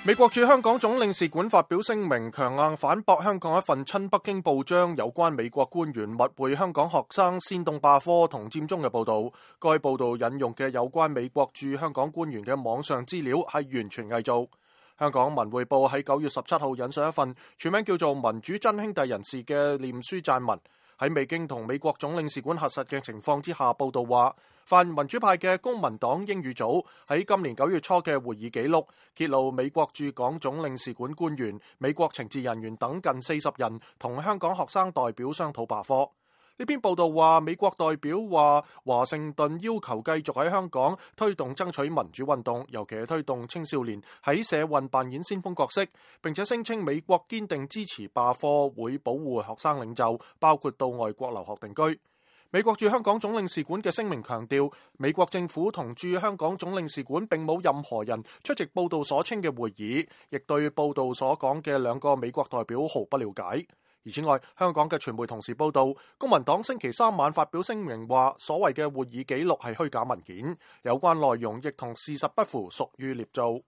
美國駐香港總領事館發表聲明，強硬反駁香港一份親北京報章有關美國官員密會香港學生煽動罷課同佔中嘅報道。該報道引用嘅有關美國駐香港官員嘅網上資料係完全偽造。香港文匯報喺9月17號引述一份全名叫做《民主真兄弟人士》嘅臉書撰文，喺未經同美國總領事館核實嘅情況之下報道話，泛民主派嘅公民黨英語組喺今年9月初嘅會議記錄揭露美國駐港總領事館官員、美國情治人員等近40人同香港學生代表商討罷課。呢篇報道話，美國代表話華盛頓要求繼續喺香港推動爭取民主運動，尤其係推動青少年喺社運扮演先鋒角色，並且聲稱美國堅定支持罷課，會保護學生領袖，包括到外國留學定居。美國駐香港總領事館嘅聲明強調，美國政府同駐香港總領事館並冇任何人出席報道所稱嘅會議，亦對報道所講嘅兩個美國代表毫不了解。而此外，香港嘅傳媒同時報道，公民黨星期三晚發表聲明話，所謂嘅會議記錄係虛假文件，有關內容亦同事實不符，屬於捏造。